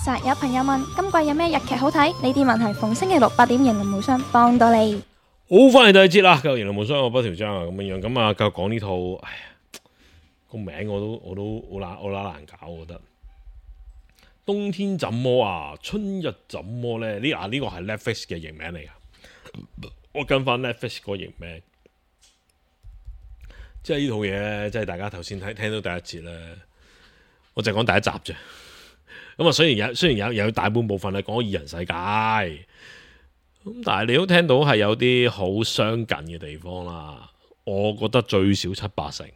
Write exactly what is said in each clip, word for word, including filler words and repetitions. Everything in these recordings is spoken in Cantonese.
實有朋友問今季有咩日劇好睇？呢啲問題逢星期六八點迎龍無雙幫到你。好，翻嚟第二節啦，繼續迎龍無雙我不條章啊，咁樣樣咁啊，繼續講呢套，哎呀，個名我都我都好難我難難搞，我覺得。冬天怎麼啊？春日怎麼咧？呢啊呢個係 Netflix 嘅譯名嚟噶，我跟翻 Netflix 個譯名，即係呢套嘢咧，即係大家頭先睇聽到第一節咧，我就講第一集啫。咁啊，雖然有雖然有有大半部分係講二人世界，咁但係你都聽到係有啲好相近嘅地方啦。我覺得最少七八成，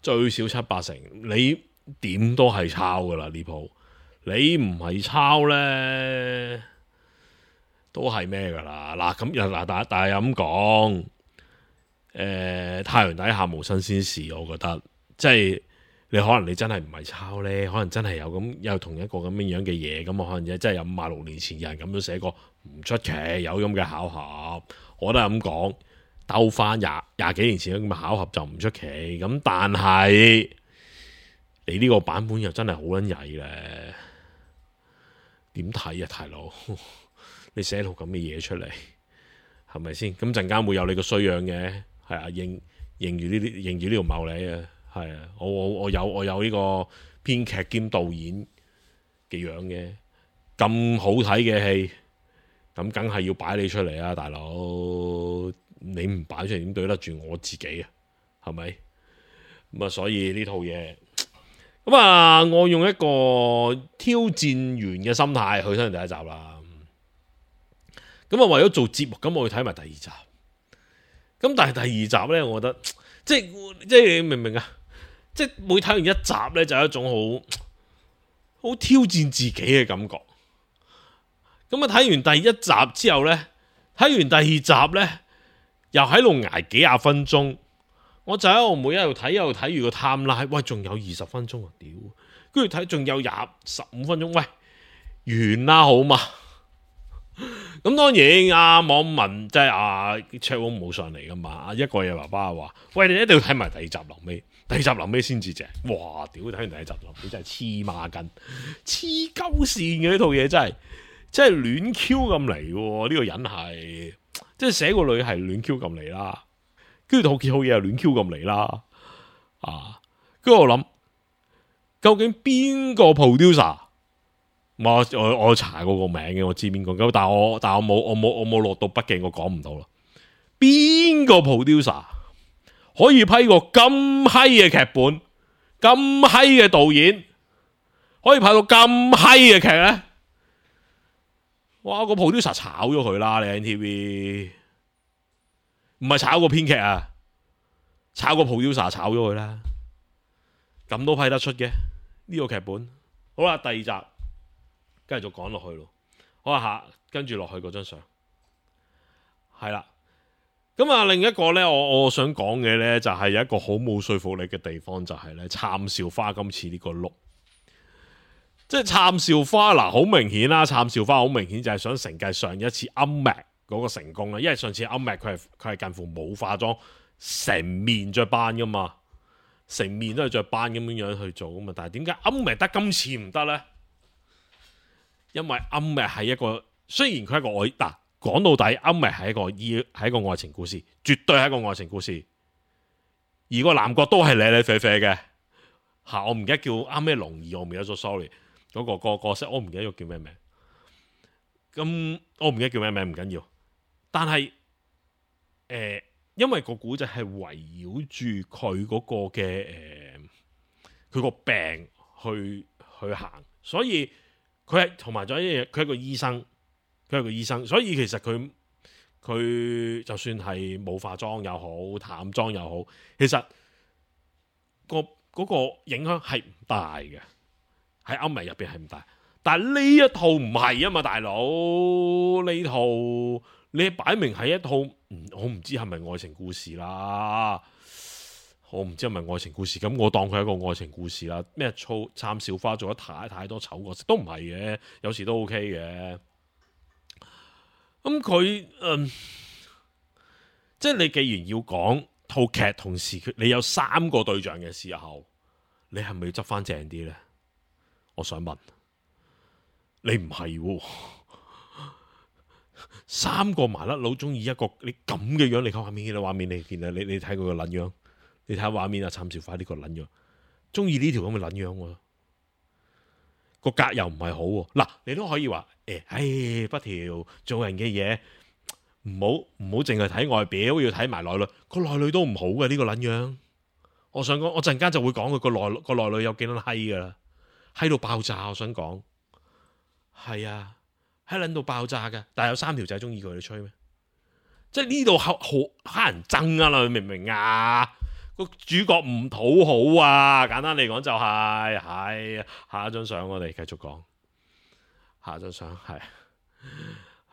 最少七八成，你點都係抄噶啦呢鋪。你唔係抄呢，都係咩噶啦？嗱咁又嗱，但但係咁講，誒太陽底下無新鮮事，我覺得即係你可能你真係唔係抄呢，可能真係有咁有同一個咁樣樣嘅嘢，咁我可能真係有五十六年前有人咁樣寫過，唔出奇有咁嘅巧合。我都係咁講，兜翻廿廿幾年前咁嘅巧合就唔出奇。咁但係你呢個版本又真係好撚曳咧。點睇啊，大佬？你寫套咁嘅嘢出嚟，係咪先？咁陣間會有你個衰樣嘅，係啊，認認住呢啲，認住呢條茂利啊，係啊，我我我有我有呢個編劇兼導演嘅樣嘅，咁好睇嘅戲，咁梗係要擺你出嚟啊，大佬！你唔擺出嚟點對得住我自己啊？係咪？咁啊，所以呢套嘢。咁啊，我用一個挑戰員嘅心態去睇第一集啦。咁啊，為咗做節目，咁我去睇埋第二集。咁但係第二集呢，我覺得即係即係你明唔明啊？即係每睇完一集呢，就有一種好好挑戰自己嘅感覺。咁啊，睇完第一集之後呢，睇完第二集呢，又喺度捱幾廿分鐘。我就喺度每一度睇，一路睇住個 timeline，喂，仲有二十分鐘啊！屌，跟住睇仲有廿十五分鐘，喂，完啦好嘛？咁當然啊，網民即係啊 Chatroom 冇上嚟噶嘛？一個嘢爸爸話：喂，你一定要睇埋第二集臨尾，第二集臨尾先至正。哇！屌，睇完第一集臨尾真係黐孖筋，黐鳩線嘅呢套嘢真係，真係亂 Q 咁嚟喎！呢個人係即係寫個女係亂 Q 咁嚟啦。跟住套套嘢又亂 Q 咁嚟啦，啊！跟住我諗，究竟邊個 producer？我我我查過個名嘅，我知邊個。咁但係我但係我冇我冇我冇落到筆記，我講唔到啦。邊個 producer 可以批個咁閪嘅劇本、咁閪嘅導演，可以拍到咁閪嘅劇咧？哇！個 producer 炒咗佢啦，你 N T V。唔係炒個編劇啊，炒個 producer 炒咗佢啦，咁都批得出嘅呢個劇本。好啦，第二集繼續講落去咯。好啊，下跟住落去嗰張相係啦。咁啊，另一個呢，我我想講嘅呢，就係有一個好冇說服力嘅地方，就係呢杉咲花今次呢個碌，即係杉咲花嗱，好明顯啦，杉咲花好明顯就係想承繼上一次暗麥嗰個成功啦，因為上次暗麥佢係佢係近乎冇化妝，成面着斑噶嘛，成面都係着斑咁樣樣去做噶嘛。但係點解暗麥得今次唔得呢？因為暗麥係一個雖然佢係一個愛嗱，講到底暗麥係一個依係一個愛情故事，絕對係一個愛情故事。而個男角都係咧咧啡啡嘅吓，我唔記得叫啱咩龍二，我唔記得咗 ，sorry， 嗰、嗰個、嗰個角色我唔記得咗叫咩名。咁我唔記得叫咩名，唔緊要。但係，誒、呃，因為個古仔係圍繞住佢嗰個嘅，誒、呃，佢個病去去行，所以佢係同埋咗一樣嘢，佢係個醫生，佢係個醫生，所以其實佢佢就算係冇化妝又好，淡妝又好，其實、個嗰、個影響係唔大嘅，喺歐美入邊係唔大。但係呢一套唔係啊嘛，大佬，呢套。你擺明係一套，我唔知係咪愛情故事啦，我唔知係咪愛情故事，咁我當佢係一個愛情故事啦。咩粗杉咲花做得太太多醜角色都唔係嘅，有時都 OK 嘅。咁佢，嗯，即係你既然要講套劇，同時你有三個對象嘅時候，你係咪要執翻正啲呢？我想問。你唔係喎，三個麻甩佬中意一個你咁嘅樣，你睇畫面，你畫面你見啊，你你睇佢個撚樣，你睇下畫面啊，參照翻呢個撚樣，中意呢條咁嘅撚樣喎，個格又唔係好喎。嗱，你都可以話誒，唉、哎，不條做人嘅嘢，唔好唔好淨係睇外表，要睇埋內裏，個內裏都唔好嘅呢、這個撚樣。我想講，我陣間就會講佢個內個內裏有幾撚閪噶啦，閪到爆炸。我想講，係啊。喺撚到爆炸嘅，但係有三條仔中意佢，你吹咩？即係呢度好好乞人憎啊！你明唔明啊？個主角唔討好啊！簡單嚟講就係、是，係下一張相我哋繼續講，下一張相係，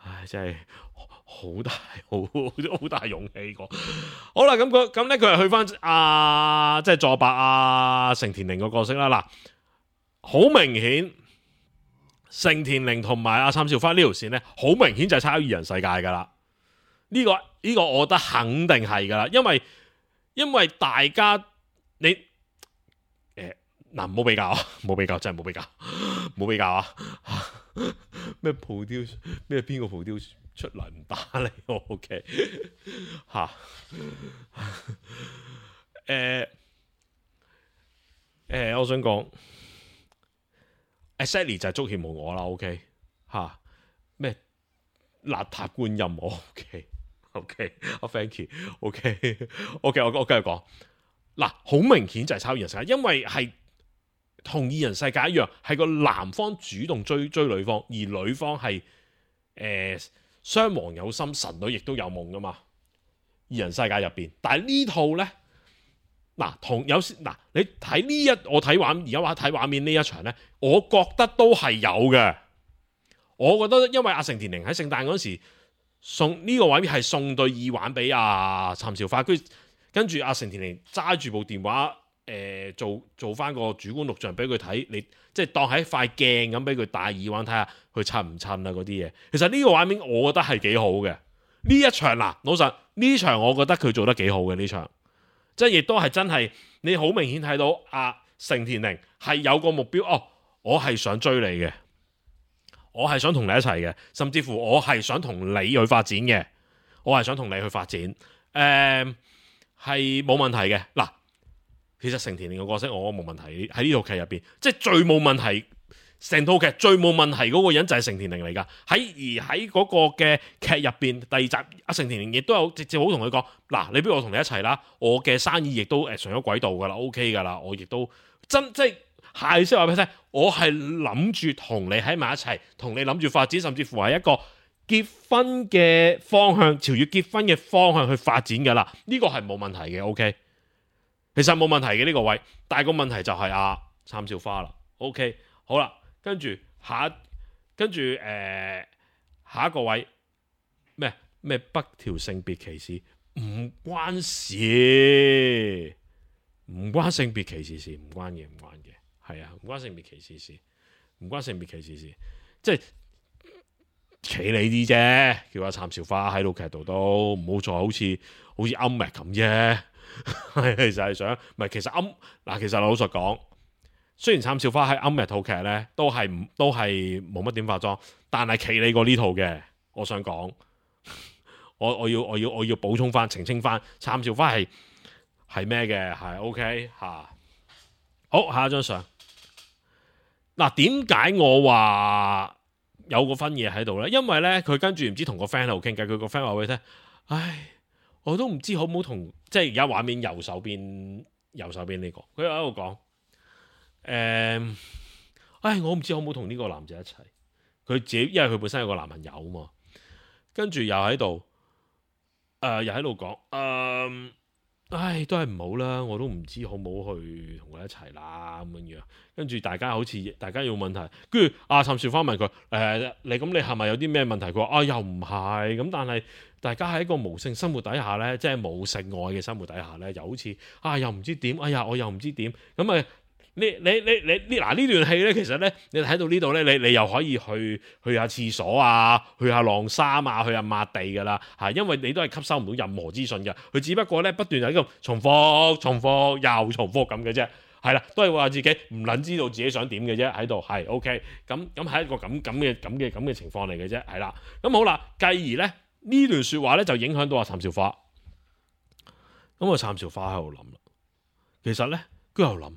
唉，真係好大好好大勇氣講。好啦，咁佢咁咧，佢係去翻啊，即係佐伯啊，成田凌個角色啦。嗱，好明顯。成田凌同埋阿參照花呢條線咧，好明顯就係抄二人世界噶啦。呢、這個呢、這個我覺得肯定係噶啦，因為因為大家你誒嗱唔好比較啊，冇比較真係冇比較，冇比較啊！咩蒲雕咩邊個蒲雕出嚟唔打你我 ？OK 嚇誒誒，我想講。Exactly 就係足協無我啦 ，OK 嚇咩邋遢觀音我 OK OK 阿 Thank you OK OK 我我繼續講嗱，好明顯就係抄二人世界，因為係同二人世界一樣，係個男方主動追追女方，而女方係誒雙王有心，神女亦都有夢噶嘛。二人世界入邊，但係呢套咧。嗱，同有時嗱，你睇呢一我睇畫，而家話睇畫面呢一場咧，我覺得都係有嘅。我覺得因為阿成田凌喺聖誕嗰時送呢、這個畫面係送對耳環俾阿參照花，跟跟住阿成田凌揸住部電話，誒、呃、做做翻個主觀錄像俾佢睇，你即係當係一塊鏡咁俾佢戴耳環睇下佢襯唔襯啊嗰啲嘢。其實呢個畫面我覺得係幾好嘅。呢一場嗱，老實呢場我覺得佢做得幾好嘅呢場。即係亦都係真係，你好明顯睇到阿成田凌係有個目標，哦，我係想追你嘅，我係想同你一齊嘅，甚至乎我係想同你去發展嘅，我係想同你去發展，誒係冇問題嘅。嗱，其實成田凌嘅角色我冇問題喺呢套劇入邊，即係最冇問題。成套劇最冇問題嗰個人就係成田凌嚟㗎，喺而喺嗰個嘅劇入邊第二集，阿成田凌亦都有直接好同佢講，嗱，你不如我同你一齊啦，我嘅生意亦都誒上咗軌道㗎啦 ，OK 㗎啦，我亦都真即係係識話俾你聽，我係諗住同你喺埋一齊，同你諗住發展，甚至乎係一個結婚嘅方向，朝住結婚嘅方向去發展㗎啦，呢、這個係冇問題嘅 ，OK， 其實冇問題嘅呢、這個位，但係個問題就係阿參照花啦 ，OK， 好啦。跟住下，跟住誒、呃、下一個位咩咩北條性別歧視唔關事，唔關性別歧視事，唔關嘅，唔關嘅，係啊，唔關性別歧視事，唔關性別歧視事，即係企你啲啫，叫阿參照花喺度劇度都唔好再好似好似暗麥咁啫，係其實係想，唔係其實暗嗱，其實老實講。雖然參照花喺暗日套劇咧，都係唔都係冇乜點化妝，但係企理過呢套嘅，我想講，我我要我要我要補充翻澄清翻，參照花係係咩嘅，係 OK 吓。好，下一張相。嗱，點解我話有個分嘢喺度咧？因為咧，佢跟住唔知同個 friend 喺度傾偈，佢個 friend 話俾佢聽，唉，我都唔知好唔好同，即係而家畫面右手邊右手邊呢、這個，佢喺度講。誒、嗯，唉，我唔知好唔好同呢個男仔一齊。佢自己，因為佢本身有個男朋友啊嘛，跟住又喺度，誒、呃，又喺度講，誒、呃，唉，都係唔好啦，我都唔知好唔好去同佢一齊啦咁樣樣。跟住大家好似大家有問題，跟住阿參照花問佢，誒、呃，你咁你係咪有啲咩問題？佢話啊，又唔係，咁但係大家喺一個無性生活底下咧，即係冇性愛嘅生活底下咧，又好似啊，又唔知點，哎呀，我又唔知點，咁啊。你你你你呢嗱呢段戲咧，其實咧，你睇到呢度咧，你你又可以去去下廁所啊，去下晾衫啊，去下抹地噶啦嚇，因為你都係吸收唔到任何資訊嘅，佢只不過咧不斷喺度重複、重複又重複咁嘅啫。係啦，都係話自己唔撚知道自己想點嘅啫，喺度係 OK，咁咁係一個咁咁嘅咁嘅咁嘅情況嚟嘅啫，係啦。咁好啦，繼而咧呢段説話咧就影響到阿譚兆花。咁啊，譚兆花喺度諗啦，其實咧佢又諗，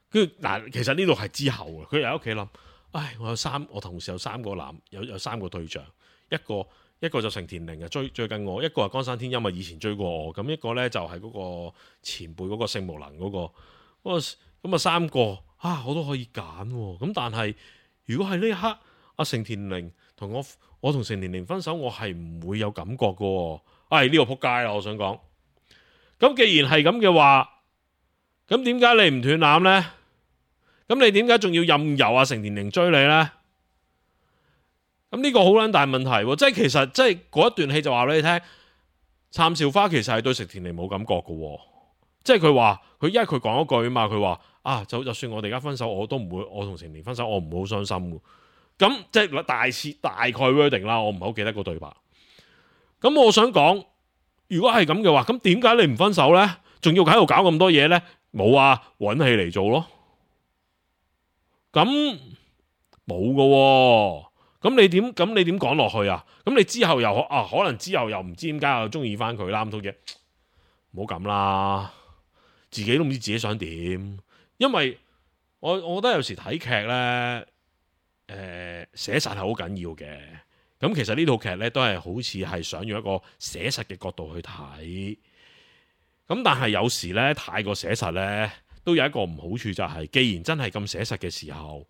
跟住嗱，其實呢度係之後嘅，佢又喺屋企諗，唉，我有三，我同時有三個男，有有三個對象，一個一個就成田玲啊追追緊我，一個係江山天音啊以前追過我，咁一個咧就係嗰個前輩嗰個性無能嗰、嗰個，咁啊三個啊我都可以揀喎，咁但係如果係呢一刻阿成田玲同我，我同成田玲分手，我係唔會有感覺嘅喎，唉呢個撲街啦，我想講。咁既然係咁嘅話，咁點解你唔斷纜呢？咁你點解仲要任由阿成田玲追你呢？咁呢個好撚大問題喎！即係其實即係嗰一段戲就話俾你聽，譚兆花其實係對成田玲冇感覺嘅，即係佢話佢因為佢講一句啊嘛，佢話啊就就算我哋而家分手，我都唔會，我同成田玲分手，我唔會好傷心嘅。咁即係大切大概 wording 啦，我唔係好記得個對白。咁我想講。如果係咁嘅話，咁點解你唔分手呢？仲要喺度搞咁多嘢呢？冇啊，揾戲嚟做咯。咁冇㗎，咁你點？咁你點講落去啊？咁你之後又啊，可能之後又唔知點解又中意翻佢啦，咁多嘢，唔好咁啦，自己都唔知自己想點。因為我我覺得有時睇劇呢，誒寫實係好緊要嘅。咁其實呢套劇咧都係好似係想用一個寫實嘅角度去睇，咁但係有時咧太過寫實咧，都有一個唔好處就係，既然真係咁寫實嘅時候，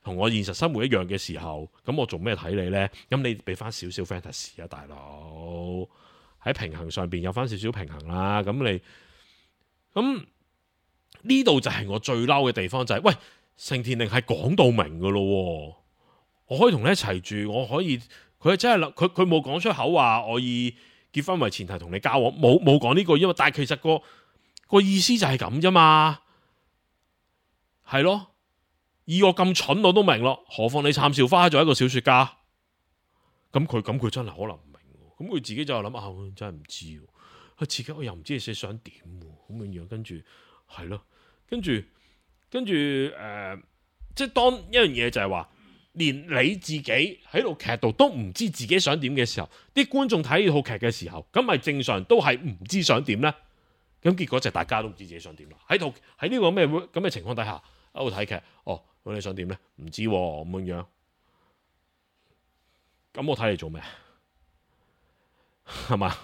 同我現實生活一樣嘅時候，咁我做咩睇你呢？咁你俾翻少少 fantasy 啊，大佬喺平衡上邊有翻少少平衡啦。咁你咁呢度就係我最嬲嘅地方，就係喂，成田玲係講到明噶咯。我可以同你一齊住，我可以，佢真係佢佢冇講出口話我以結婚為前提同你交往，冇冇講呢句，因為但係其實個個意思就係咁啫嘛，係咯，以我咁蠢我都明咯，何況你譚兆花做一個小說家，咁佢咁佢真係可能唔明，咁佢自己就諗啊，真係唔知，佢自己我又唔知你想點，咁樣樣，跟住係咯，跟住跟住誒、呃，即係當一樣嘢就係話。連你自己喺度劇度都唔知自己想點嘅時候，啲觀眾睇呢套劇嘅時候，咁咪正常都係唔知想點呢？咁結果就大家都唔知自己想點啦。喺套喺呢個咩咁嘅情況底下喺度睇劇，哦，咁你想點呢？唔知咁、啊、樣，咁我睇你做咩？係嘛？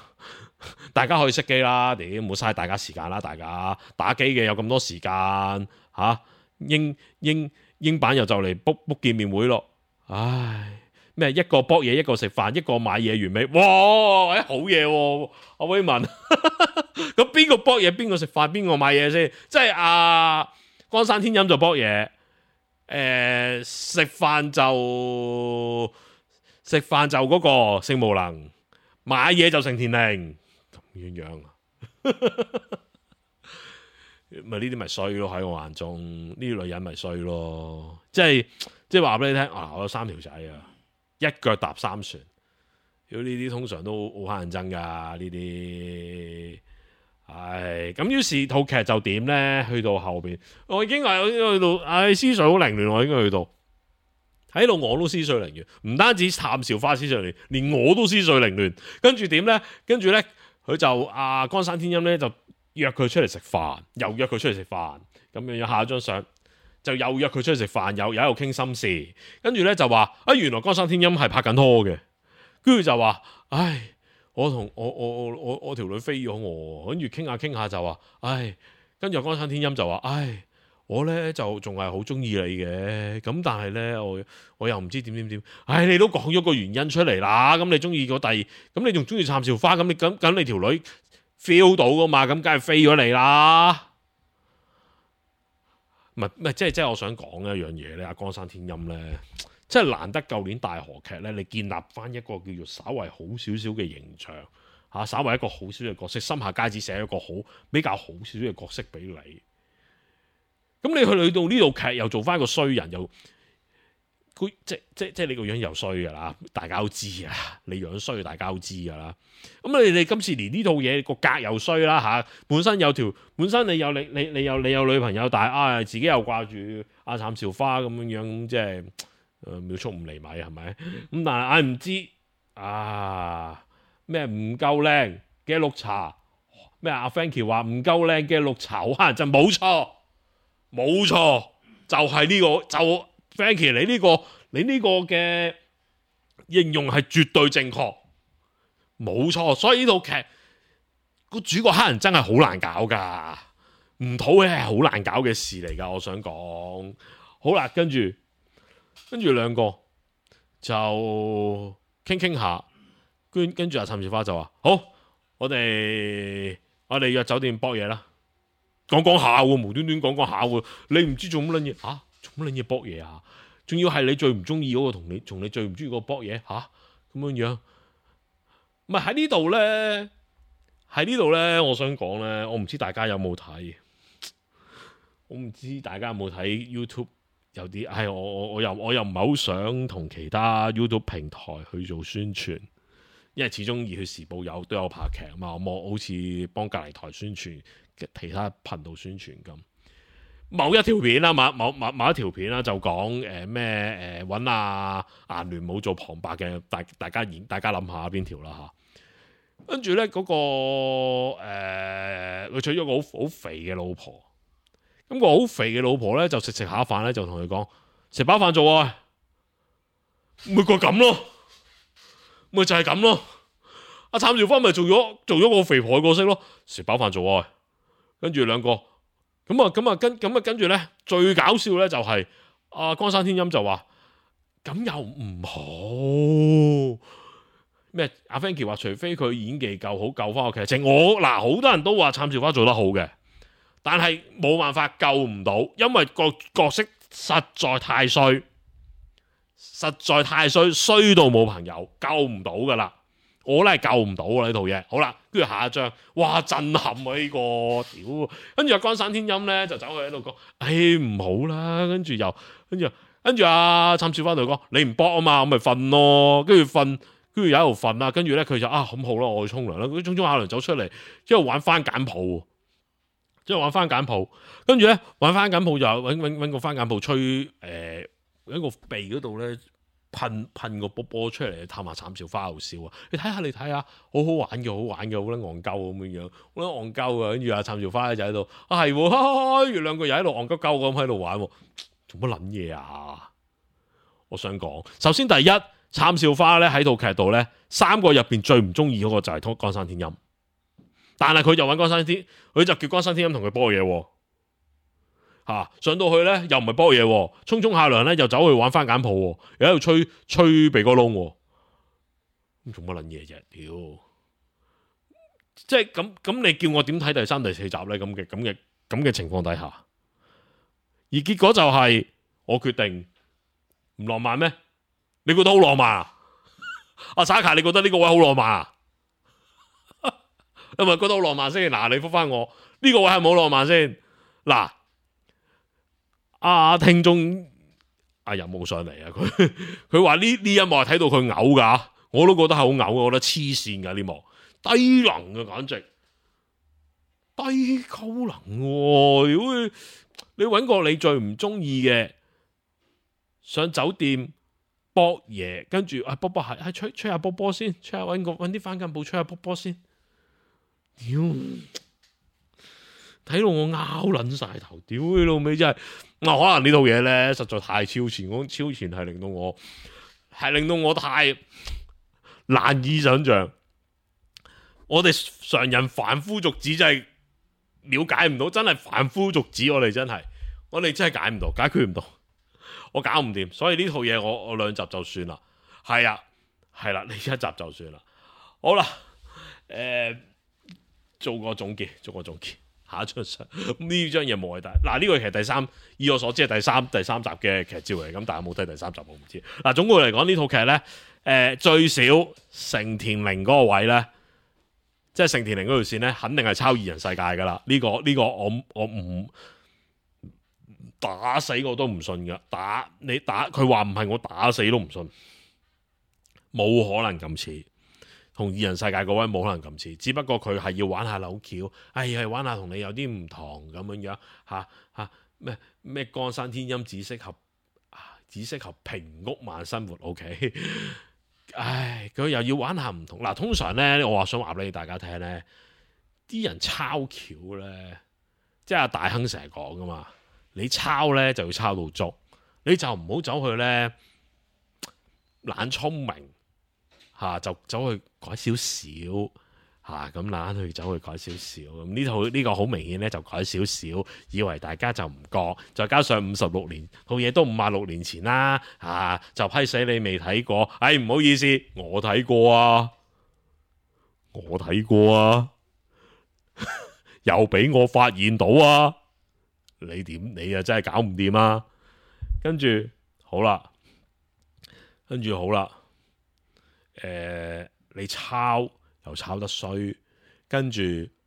大家可以熄機啦，屌唔好嘥大家時間啦，大家打機嘅有咁多時間吓、啊，英英。英版又就嚟 book book 見面會咯，唉咩一個博嘢一個食飯一個買嘢完美，哇哎好嘢喎、啊，阿威文，咁邊個博嘢邊個食飯邊個買嘢先？即係阿江山天音就博嘢，誒食飯就食飯就嗰個性無能，買嘢就成田玲咁樣樣啊。咪呢啲咪衰咯，喺我眼中呢啲女人咪衰咯，即係即係話俾你聽啊！我有三條仔啊，一腳踏三船，如果呢啲通常都好乞人憎噶呢啲，唉咁於是套劇就點咧？去到後邊，我已經係去到，唉思緒好凌亂，我已經去到喺度我都思緒凌亂，唔單止譚兆花思緒凌亂，連我都思緒凌亂。跟住點咧？跟住咧，佢就阿江山天音咧就。約佢出嚟食飯，又約佢出嚟食飯，咁樣下一張相就又約佢出去食飯，又又喺度傾心事，跟住咧就話啊，原來江山天音係拍緊拖嘅，跟住就話唉，我同我我我我我條女飛咗我，跟住傾下傾下就話唉，跟住江山天音就話唉，我咧就仲係好中意你嘅，咁但係咧我我又唔知點點點，唉，你都講咗個原因出嚟啦，咁你中意個第，咁你仲中意譚兆花，咁你咁咁你條女。feel 到噶嘛？咁梗係飛咗你啦！唔係唔係，即係即係我想講一樣嘢咧。阿江山天音咧，即係難得舊年大河劇咧，你建立翻一個叫做稍為好少少嘅形象嚇、啊，稍為一個好少少嘅角色，心下佳子寫一個好比較好少少嘅角色俾你。咁你去去到呢套劇又做翻一個衰人，又佢即即即你個樣又衰噶啦，大家都知啊，你樣衰大家都知噶啦。咁你哋今次連呢套嘢個格又衰啦嚇，本身有條本身你有你你你有你有女朋友，但係啊自己又掛住阿杉咲花咁樣樣，即係誒秒速五厘米係咪？咁但係唉唔知啊咩唔夠靚嘅綠茶咩？阿 Frankie 話唔夠靚嘅綠茶好乞人憎，冇錯冇錯，就係呢個就 Frankie 你呢個你呢個嘅形容係絕對正確。冇錯，所以呢套劇個主角黑人真係好難搞噶，唔討嘅係好難搞嘅事嚟噶。我想講好啦，跟住跟住兩個就傾傾下，跟跟住阿杉咲花就話好，我哋我哋約酒店搏嘢啦，講講下喎，無端端講講下喎，你唔知做乜撚嘢吓？做乜撚嘢搏嘢啊？仲要係你最唔中意嗰個同你同你最唔中意嗰個搏嘢吓？咁樣樣。唔係喺呢度咧，喺呢度咧，我想講咧，我唔知大家有冇睇，我唔知大家有冇睇 YouTube 有啲，係我我我又我又唔係好想同其他 YouTube 平台去做宣傳，因為始終熱血時報有都有拍劇啊嘛，我好似幫隔離台宣傳，其他頻道宣傳咁。某一條片啦，某某某某一條片啦，就講誒咩誒揾阿顏聯武做旁白嘅，大大家演，大家諗下邊條啦嚇。跟住咧嗰個誒，佢、呃、娶咗個好好肥嘅老婆，咁、個好肥嘅老婆咧就食食下飯咧就同佢講食飽飯做愛，咪個咁咯，咪就係咁咯。阿杉咲花咪做咗做咗個肥婆嘅角色咯，食飽飯做愛，跟住兩個。咁啊，咁啊，跟咁啊，跟住咧，最搞笑咧就係、是、阿、啊、岡山天音就話咁又唔好咩？阿 Frankie 話除非佢演技夠好，救翻個劇情。我嗱好多人都話杉咲花做得好嘅，但係冇辦法救唔到，因為個角色實在太衰，實在太衰，衰到冇朋友，救唔到噶啦。我咧係救唔到啊呢套嘢。好啦，跟住下一章，哇震撼啊呢、這個，屌！跟住阿岡山天音咧就走去喺度講，唉、哎、唔好啦，跟住又跟住跟住阿杉咲花度講，你唔搏啊嘛，我咪瞓咯，跟住瞓，跟住又喺度瞓啦，跟住咧佢就啊咁好啦，我去沖涼啦，佢沖沖下涼走出嚟，之後玩翻簡譜，之後玩翻簡譜，跟住咧玩翻簡譜就搵搵搵個翻簡譜吹誒，喺、呃、個鼻嗰度咧。噴噴個波波出嚟探下杉咲花好笑啊！你睇下你睇下，好好玩嘅，好玩嘅，好撚戇鳩咁樣樣，好撚戇鳩啊！跟住阿杉咲花就喺度啊係，跟住兩個又喺度戇鳩鳩咁喺度玩，做乜撚嘢啊？我想講，首先第一，杉咲花咧喺套劇度咧，三個入邊最唔中意嗰個就係岡山天音，但係佢就揾岡山天，佢就叫岡山天音同佢波嘢。吓、啊、上到去咧又唔係波嘢，沖沖下涼咧又走去玩翻簡譜，又喺度吹吹鼻哥窿，咁做乜撚嘢啫？屌！即係咁咁，你叫我點睇第三、第四集咧？咁嘅咁嘅咁嘅情況底下，而結果就係、是、我決定唔浪漫咩？你覺得好浪漫啊？阿 Saka， 你覺得呢個位好浪漫啊？係咪覺得好浪漫先？嗱，你覆翻我呢、這個位係冇浪漫先嗱。啊！聽眾阿人冇上嚟啊！佢佢話呢呢一幕係睇到佢嘔噶，我都覺得係好嘔，我覺得黐線噶呢幕，低能嘅簡直低溝能。如果你揾個你最唔中意嘅上酒店搏嘢，跟住啊波波係係吹吹下波波先，吹下揾個揾啲翻緊布吹下波波先，屌！睇到我拗撚晒頭，屌你老味真係！我、啊、可能呢套嘢咧實在太超前，我超前係令到我係令到我太難以想象。我哋常人凡夫俗子真係了解唔到，真係凡夫俗子，我哋真係我哋真係解唔到，解決唔到，我搞唔掂。所以呢套嘢我我兩集就算啦。係啊，係啦，你一集就算啦。好啦，誒、呃，做個總結，做個總結。下一張相呢張嘢冇謂大嗱，呢個其實第三，以我所知係第三第三集嘅劇照嚟，咁但係冇睇第三集我唔知。嗱，總括嚟講呢套劇咧，誒、呃、最少成田凌嗰個位咧，即係成田凌嗰條線咧，肯定係抄二人世界噶啦。呢、這個呢、這個我我唔打死我都唔信噶，打你打佢話唔係我打死都唔信，冇可能咁似，同二人世界嗰位冇可能咁似，只不過佢係要玩下扭橋，哎係玩下同你有啲唔同咁樣樣吓吓咩咩江山天音只適合只適合平屋慢生活 ，OK， 唉佢又要玩下唔同嗱，通常咧我話想話俾大家聽咧，啲人抄橋咧，即係阿大亨成日講噶嘛。你抄咧就要抄到足，你就唔好走去咧懶聰明嚇、啊，就走去改少少嚇，咁懶去走去改少少。咁呢套呢個好明顯咧就改少少，以為大家就唔覺，再加上五十六年套嘢都五十六年前啦嚇、啊，就批死你未睇過。唉，唔好意思，我睇過啊，我睇過啊，又俾我發現到啊！你點？你啊真係搞唔掂啊！跟住好啦，跟住好啦，誒、呃，你抄又抄得衰，跟住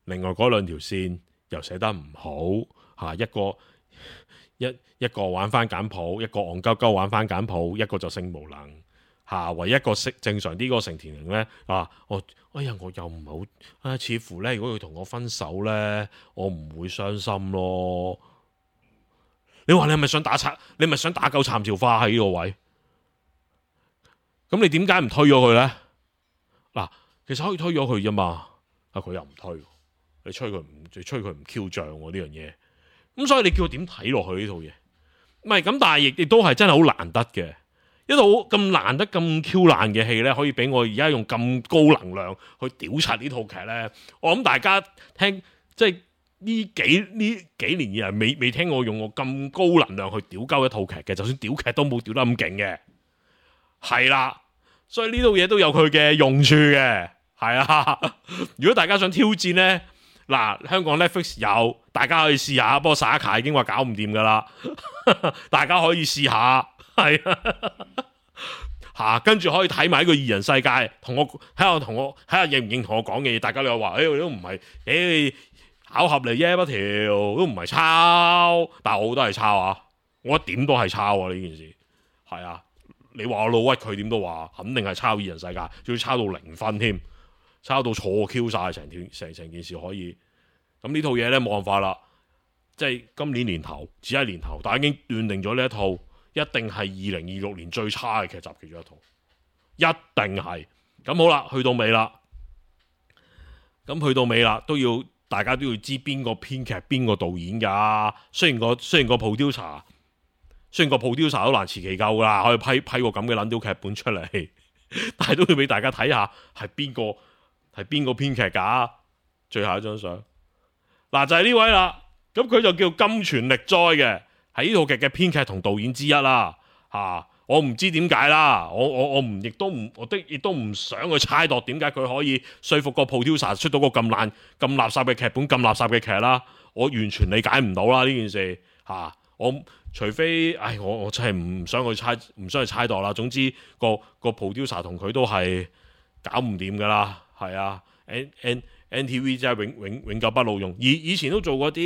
另外嗰兩條線又寫得唔好吓、啊，一個一一個玩翻簡譜，一個戇鳩鳩玩翻簡譜，一個就性無能吓、啊，唯一一個識正常啲個成田玲咧啊，我哎呀我又唔係好啊，似乎咧如果佢同我分手咧，我唔會傷心咯。你話你係咪想打拆？你咪想打鳩杉咲花喺呢個位？咁你點解唔推咗佢咧？嗱，其實可以推咗佢啫嘛。啊，佢又唔推，你吹佢唔，你吹佢唔 Q 脹喎呢樣嘢。咁所以你叫佢點睇落去呢套嘢？唔係咁，但係亦亦都係真係好難得嘅。一套咁難得咁 Q 爛嘅戲咧，可以俾我而家用咁高能量去屌柒呢套劇咧。我諗大家聽即係。呢幾呢幾年以嚟未未聽我用我咁高能量去屌鳩一套劇嘅，就算屌劇都冇屌得咁勁嘅，係啦，所以呢套嘢都有佢嘅用處嘅，係啊。如果大家想挑戰呢，嗱，香港 Netflix 有，大家可以試下，不過沙卡已經話搞唔掂噶啦，大家可以試下，係啊，吓，跟住可以睇埋呢個二人世界，同我睇下同我睇下認唔認同我講嘅嘢，大家你又話，誒、欸，都唔係，誒、欸。巧合嚟啫，不條都唔係抄，但係我都係抄啊！我一點都係抄啊！呢件事係啊，你話我老屈佢點都話，肯定係抄二人世界，仲要抄到零分添，抄到錯 Q 晒成條成成件事可以。咁呢套嘢咧冇辦法啦，即係今年年頭只係年頭，但係已經斷定咗呢一套一定係二零二六年最差嘅劇集其中一套，一定係。咁好啦，去到尾啦，咁去到尾啦都要。大家都要知邊個編劇邊個導演噶，雖然個雖然個 producer，雖然個 producer 都難辭其咎噶啦，可以批批個咁嘅撚屌劇本出嚟，但係都要俾大家睇下係邊個係邊個編劇噶。最後一張相，嗱就係、是、呢位啦，咁佢就叫金泉力哉嘅，係呢套劇嘅編劇同導演之一啦，吓、啊。我唔知點解啦，我我我唔亦都唔，我的亦都唔想去猜度點解佢可以說服個 producer 出到個咁爛、咁垃圾嘅劇本、咁垃圾嘅劇啦。我完全理解唔到啦呢件事吓、啊。我除非，唉，我我真係唔想去猜，唔想去猜度啦。總之個個 producer 同佢都係搞唔掂噶啦，係啊。N N N T V 真係永永永久不老用。以以前都做過啲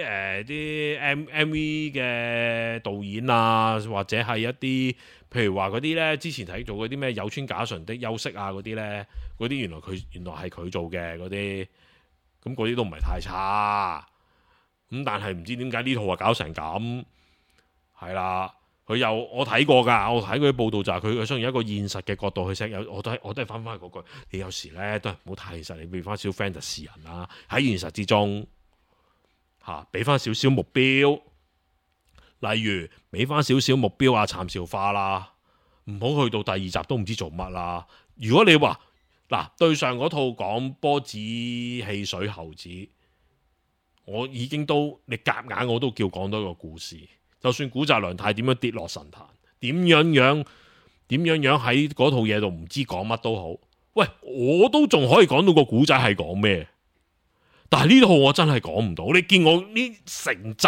誒啲 M M V 嘅導演啊，或者係一啲譬如話嗰啲咧，之前睇做嗰啲咩有村架純的休息啊嗰啲咧，嗰啲原來佢原來係佢做嘅嗰啲，咁嗰啲都唔係太差。咁但係唔知點解呢套啊搞成咁，係啦。佢又我睇過㗎，我睇嗰啲報道就係佢佢想用一個現實嘅角度去寫，有我都係我都係翻返去嗰句，你有時咧都係唔好太現實，你俾翻少 fantasy 人啦，喺現實之中嚇，俾翻少少目標，例如俾翻少少目標啊，杉咲花啦，唔好去到第二集都唔知做乜啦。如果你話嗱對上嗰套講波子汽水猴子，我已經都你夾硬我都叫講多個故事。就算古澤良太點樣跌落神壇，點樣樣點樣樣喺嗰套嘢度唔知講乜都好，喂，我都仲可以講到個古仔係講咩？但係呢套我真係講唔到。你見我呢成集，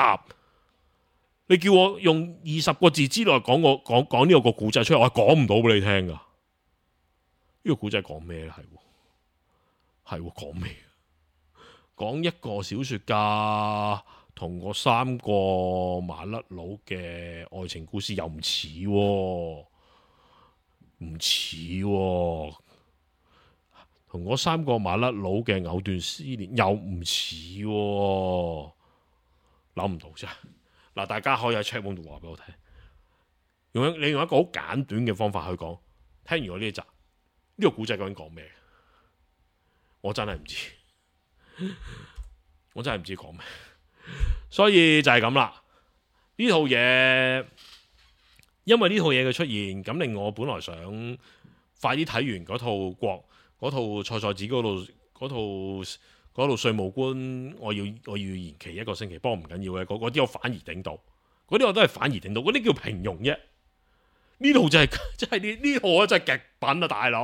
你叫我用二十個字之內講個講講呢個個古仔出嚟，我係講唔到俾你聽噶。呢個古仔講咩咧？係係講咩？講一個小說家同嗰三個麻甩佬嘅愛情故事又唔似喎，唔似喎，同嗰三個麻甩佬嘅藕斷絲連又唔似喎，諗唔到啫。嗱，大家可以喺 chat room 度話俾我聽，用你用一個好簡短嘅方法去講。聽完我呢一集，呢、這個古仔究竟講咩？我真係唔知，我真係唔知講咩。所以就係咁啦。呢套嘢，因為呢套嘢嘅出現，咁令我本來想快啲睇完嗰套國嗰套菜菜子嗰度嗰套嗰套稅務官，我要我要延期一個星期，不過唔緊要嘅。嗰啲我反而頂到，嗰啲我都係反而頂到，嗰啲叫平庸啫。呢套就係真係呢呢套真係極品啊，大佬！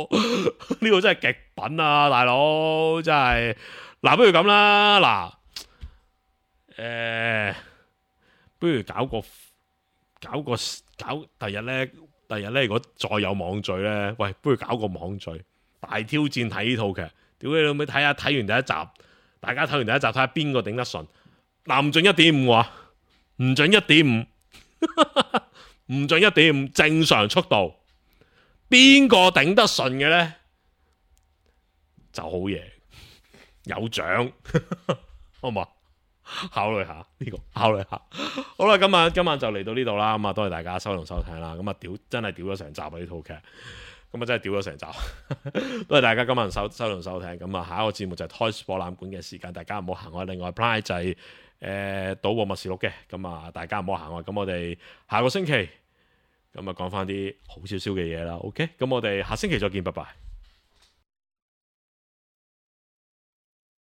呢套真係極品啊，大佬！真係嗱，不如咁啦，嗱。誒、呃，不如搞個搞個搞，第日咧，第日咧，如果再有網聚咧，喂，不如搞個網聚，大挑戰睇呢套劇，屌你老味，睇下睇完第一集，大家睇完第一集，睇下邊個頂得順，嗱，唔準一點五啊，唔準一點五，唔準一點五，正常速度，邊個頂得順嘅咧就好嘢，有獎，好唔好？考慮下呢、這個，考慮下。好啦，今晚今晚就嚟到呢度啦。咁啊，多謝大家收同收聽啦。咁啊，屌真係屌咗成集啊！呢套劇，咁啊真係屌咗成集。多謝大家今晚收收同收聽。咁啊，下一個節目就係 Toys 博覽館嘅時間，大家唔好行開。另外 Play 就係誒賭博默示錄嘅。咁啊，大家唔好行開。咁我哋下個星期咁啊講翻啲好少少嘅嘢啦。OK，咁我哋下星期再見，拜拜。